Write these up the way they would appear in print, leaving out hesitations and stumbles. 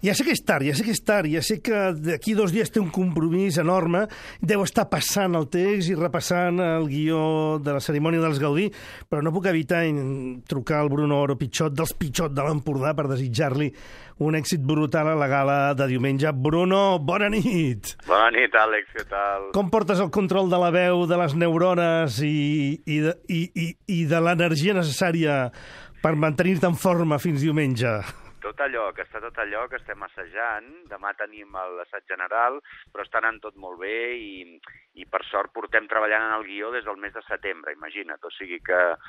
Ja sé que és tard, ja sé que d'aquí 2 dies té un compromís enorme, deu estar passant el text i repassant el guió de la cerimònia dels Gaudí, però no puc evitar trucar al Bruno Oro Pichot, dels Pichot de l'Empordà, per desitjar-li un èxit brutal a la gala de diumenge. Bruno, bona nit! Bona nit, Àlex, què tal? Com portes el control de la veu, de les neurones i de l'energia necessària per mantenir-te en forma fins diumenge? Tot allò que estem assajant. Demà tenim l'assaig general, però està anant tot molt bé i per sort portem treballant en el guió des del mes de setembre, imagina't. O sigui que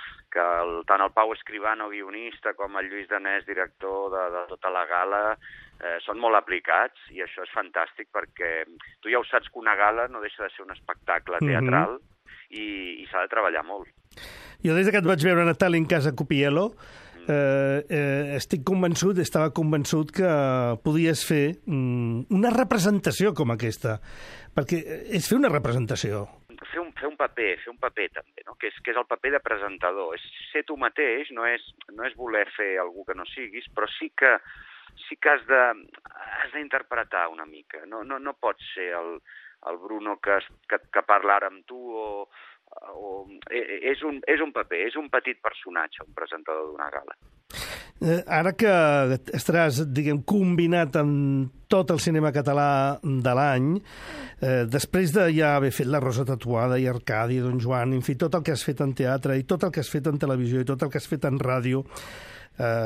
tant el Pau Escribano, guionista, com el Lluís Danés, director de tota la gala, són molt aplicats i això és fantàstic perquè tu ja ho saps que una gala no deixa de ser un espectacle teatral i s'ha de treballar molt. Jo des que et vaig veure a Natal en casa Cupiello estava convençut que podies fer una representació com aquesta, perquè és fer una representació. Fer un paper també, no? Que és el paper de presentador. És ser tu mateix, no és voler fer algú que no siguis, però sí que has d'interpretar una mica. No pots ser el Bruno que parla ara amb tu és un paper, és un petit personatge, un presentador d'una gala. Ara que estaràs, combinat amb tot el cinema català de l'any, després de ja haver fet La Rosa Tatuada i Arcadi, Don Joan, en fi, tot el que has fet en teatre i tot el que has fet en televisió i tot el que has fet en ràdio,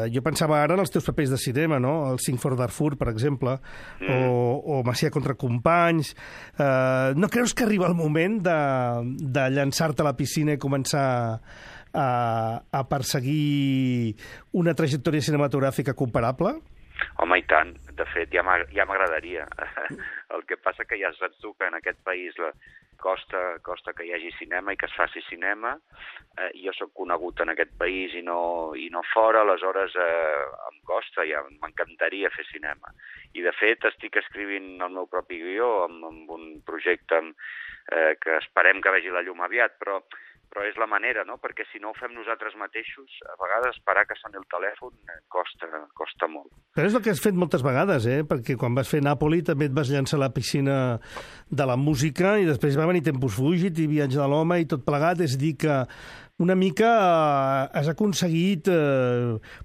jo pensava ara en els teus papers de cinema, no? El Sing for Darfur, per exemple, o Macià contra companys. No creus que arriba el moment de llançar-te a la piscina i començar a perseguir una trajectòria cinematogràfica comparable? Home, i tant. De fet, ja m'agradaria. El que passa que ja saps tu que en aquest país costa que hi hagi cinema i que es faci cinema. Jo sóc conegut en aquest país i no fora, aleshores em costa, ja m'encantaria fer cinema. I de fet estic escrivint el meu propi guió amb un projecte que esperem que vegi la llum aviat, però és la manera, no? Perquè si no ho fem nosaltres mateixos, a vegades esperar que soni el telèfon costa molt. Però és el que has fet moltes vegades, perquè quan vas fer Nàpoli també et vas llançar a la piscina de la música i després va venir Tempus Fugit i Viatge de l'home i tot plegat, és dir que una mica has aconseguit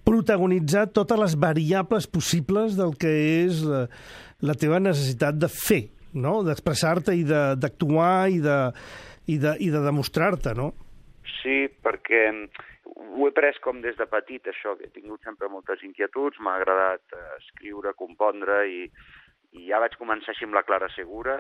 protagonitzar totes les variables possibles del que és la teva necessitat de fer, no? D'expressar-te i d'actuar i de demostrar-te, no? Sí, perquè ho he pres com des de petit, això, que he tingut sempre moltes inquietuds, m'ha agradat escriure, compondre, i ja vaig començar així amb la Clara Segura.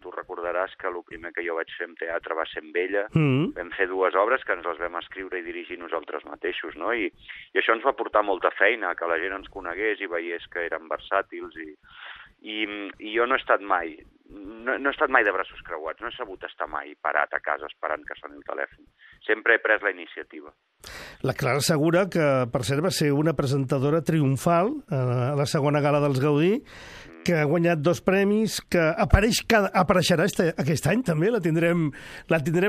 Tu recordaràs que el primer que jo vaig fer en teatre va ser amb ella. Vam fer 2 obres que ens les vam escriure i dirigir nosaltres mateixos, no? I això ens va portar molta feina, que la gent ens conegués i veiés que érem versàtils, i jo no he estat mai de braços creuats, no he sabut estar mai parat a casa esperant que soni el telèfon. Sempre he pres la iniciativa. La Clara Segura, que per cert va ser una presentadora triomfal a la segona gala dels Gaudí, que ha guanyat 2 premis, que apareixerà aquest any també, la tindrem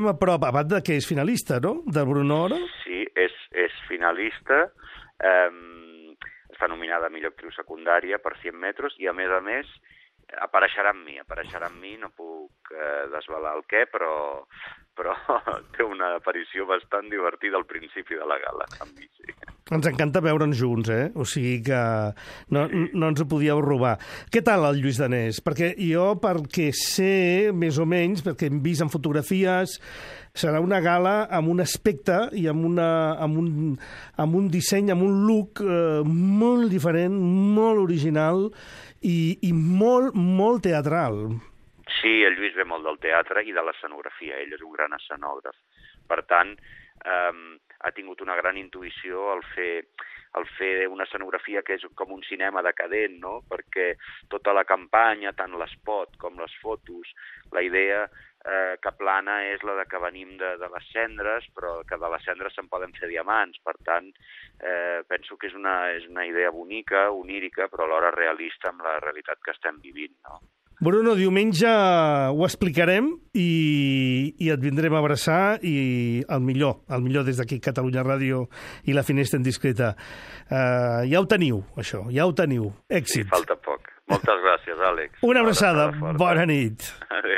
a prop, a banda que és finalista, no?, del Bruno Oro. Sí, és finalista, està nominada a millor actriu secundària per 100 metres i, a més, apareixerà amb mi, no puc desvelar el què, però té una aparició bastant divertida al principi de la gala, amb mi, sí. Ens encanta veure'ns junts, o sigui que no ens ho podíeu robar. Què tal el Lluís Danés? Perquè jo, perquè sé, més o menys, perquè hem vist en fotografies, serà una gala amb un aspecte i amb un disseny, amb un look molt diferent, molt original i molt, molt teatral. Sí, el Lluís ve molt del teatre i de l'escenografia. Ell és un gran escenògraf. Per tant, ha tingut una gran intuïció al fer una escenografia que és com un cinema decadent, no? Perquè tota la campanya, tant l'espot com les fotos, la idea que plana és la de que venim de les cendres, però que de les cendres se'n poden fer diamants. Per tant, penso que és una idea bonica, onírica, però alhora realista amb la realitat que estem vivint, no? Bruno, diumenge ho explicarem i et vindrem a abraçar i el millor des d'aquí Catalunya Ràdio i la Finestra Indiscreta. Ja ho teniu, això, ja ho teniu. Èxit. Sí, falta poc. Moltes gràcies, Àlex. Una abraçada. Bona nit. Adéu.